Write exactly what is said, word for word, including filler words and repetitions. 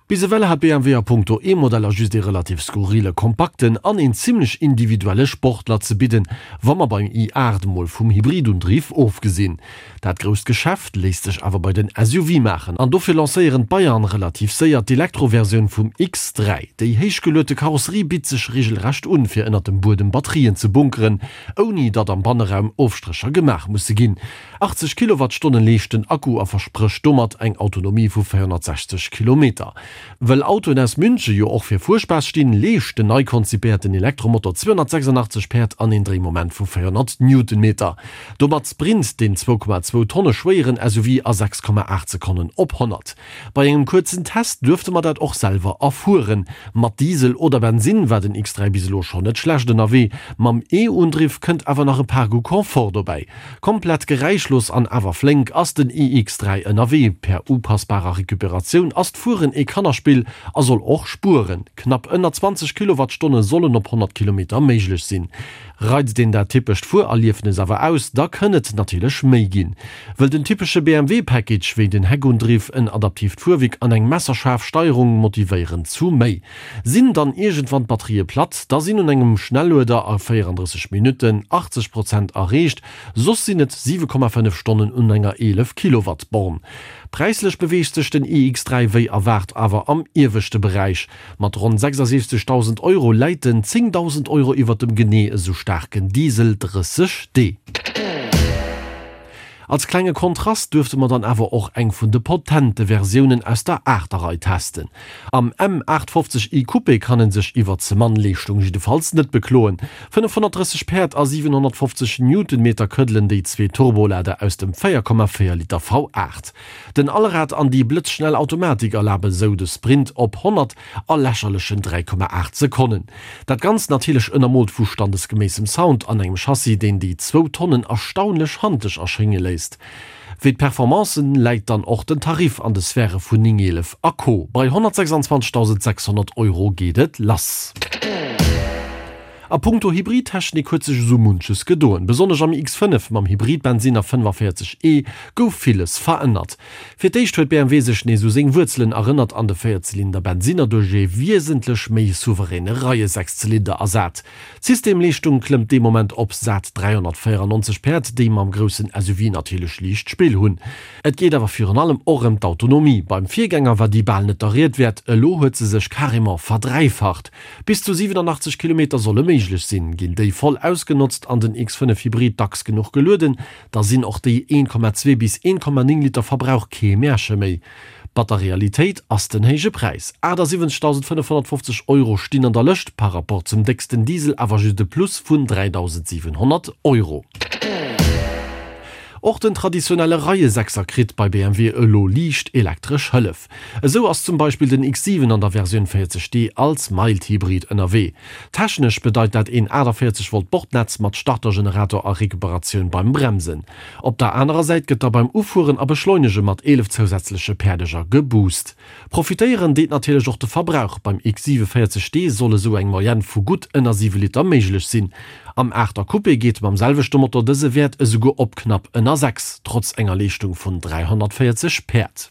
Bis ewell hat B M W a punkto E-Modeller just ee relativ skurrile kompakten an een zimmlech individuelle Sportler ze bidden, wa mer beim i aacht emol vum Hybridundriff ofgesinn. Dat grousst Geschäft léisst sech awer bei den S U V maachen an dofir lancéieren d'Bayern relativ séier d'Elektroversioun vum X dräi. Déi héichgeluete Karosserie bitt sech regelrecht un, fir ënnert dem Buedem Batterien ze bunkeren, ouni datt am Banneraum Ofstrécher gemaach musse ginn. achtzeg Kilowattstonnen leescht den Akku a versprécht domat eng Autonomie vu véierhonnertsechzeg Kilometer. Wëll Autoen aus Münche jo och fir Fuerspaass stinn, leescht den nei konzipéierten Elektromotor zweehonnertsechsundachtzeg Päerd an een Dréimoment vu véierhonnert Newtonmeter. Domat sprint den zwou Komma zwou Tonne schwéieren S U V a sechs Komma aacht Sekonnen op honnert. Bei engem kuerzen Test duerfte mer dat och selwer erfueren. Mat Diesel oder Bensinn war den X dräi bis elo schonn net schlecht ënnerwee, mam E-Undriff kënnt awer nach e paar Goût Confort dobäi. Komplett geräischlos an awer flénk ass den i X dräi ënnerwee. Per upassbarer Recuperatioun ass d'Fueren ee Kannerspill a soll och spueren. Knapp ënner zwanzeg Kilowattstonne sollen op honnert Kilometer méiglech sinn. Reizt een dat typescht Fuererliefnes awer aus, da kënn et natierlech méi ginn. Wëll den typesche B M W-Package wéi den Heckundriff, en adaptiivt Fuerwierk an eng messerschaarf Steierung motivéieren zu méi. Sinn dann iergendwann d'Batterië platt, da sinn un engem Schnellueder a véierandrësseg Minutten achtzeg Prozent erreecht, soss sinn et siwe Komma fënnef Stonnen un enger eelef Kilowatt Born. Präislech beweegt sech den i X dräi wéi erwaart awer am ieweschte Beräich. Mat ronn sechsasiwwzegdausend Euro läit en zéngdausend Euro iwwer dem genee esou staarken Diesel drësseg D. Als klenge Kontrast duerfte mer dann awer och eng vun de potente Versiounen aus der Aachter-Rei testen. Am M aachtfofzeg i Coupé kann en sech iwwer ze mann Leeschtung jiddefalls net bekloen. Fënnefhonnertdrësseg Päerd a siwenhonnertfofzeg Newtonmeter këddelen déi zwee Turbolader aus dem véier Komma véier Liter V aacht. Den Allrad an déi blëtzschnell Automatik erlabe sou de Sprint op honnert a lächerlechen dräi Komma aacht Sekonnen. Dat Ganzt natierlech ënnermoolt vu standesgeméissem Sound an engem Chassis, deen déi zwou Tonnen erstaunlech handlech erschénge léisst. Wéi d'Performancen läit dann och den Tarif an de Sphäre vun néng eelef a Co. Bei honnertsechsundzwanzegtausendsechshonnert Euro geet et lass. A punkto Hybridtechnik huet sech esou munches gedoen. Besonnesch am X fënnef mam Hybridbensinner fënnefavéierzeg E gouf villes verännert. Fir d'éischt huet B M W sech nees u seng Wuerzelen erënnert an de Véierzylinder-Bensinner duerch ee wiesentlech méi souveräne Reiesechszylinder ersat. D'Systemleeschtung klëmmt dee Moment op sat dräihonnertvéierannonzeg Päerd, déi mam groussen S U V natierlech liicht Spill hunn. Et geet awer virun allem och ëm d'Autonomie. Beim Virgänger war déi bal net der Ried wäert, elo huet se sech carrément verdräifacht. Bis zu siwenanachtzeg Kilometer solle méiglech sinn. Ginn déi voll ausgenotzt an den X fënnef Hybrid dacks genuch gelueden, da sinn och déi een Komma zwee bis een Komma néng Liter Verbrauch kee Märche méi. Batter Realitéit ass den héije Präis, achtasiwwenzegdausendfënnefhonnertfofzeg Euro stinn an der Lëscht, par rapport zum décksten Diesel awer just e Plus vun dräidausendsiwenhonnert Euro. Och den traditionelle Reiesechser kritt bei B M W elo liicht elektresch Hëllef. Esou ass zum Beispill den X siwen an der Versioun véierzeg D als Mild-Hybrid ënnerwee. Technesch bedeit dat een aachtavéierzeg Volt Bordnetz mat Startergenerator a Recuperatioun beim Bremsen. Op der anerer Säit gëtt da beim Ufueren a Beschleunege mat eelef zousätzleche Päerdeger geboost. Profitéieren deet natierlech och de Verbrauch, beim X siwe véierzeg D soll esou eng Moyenne vu gutt ënner siwe Liter méiglech sinn. Am Aachter Coupé geet mam selwechte Motor dëse Wäert esouguer op knapp ënner sechs, trotz enger Leeschtung vun dräihonnertvéierzeg Päerd.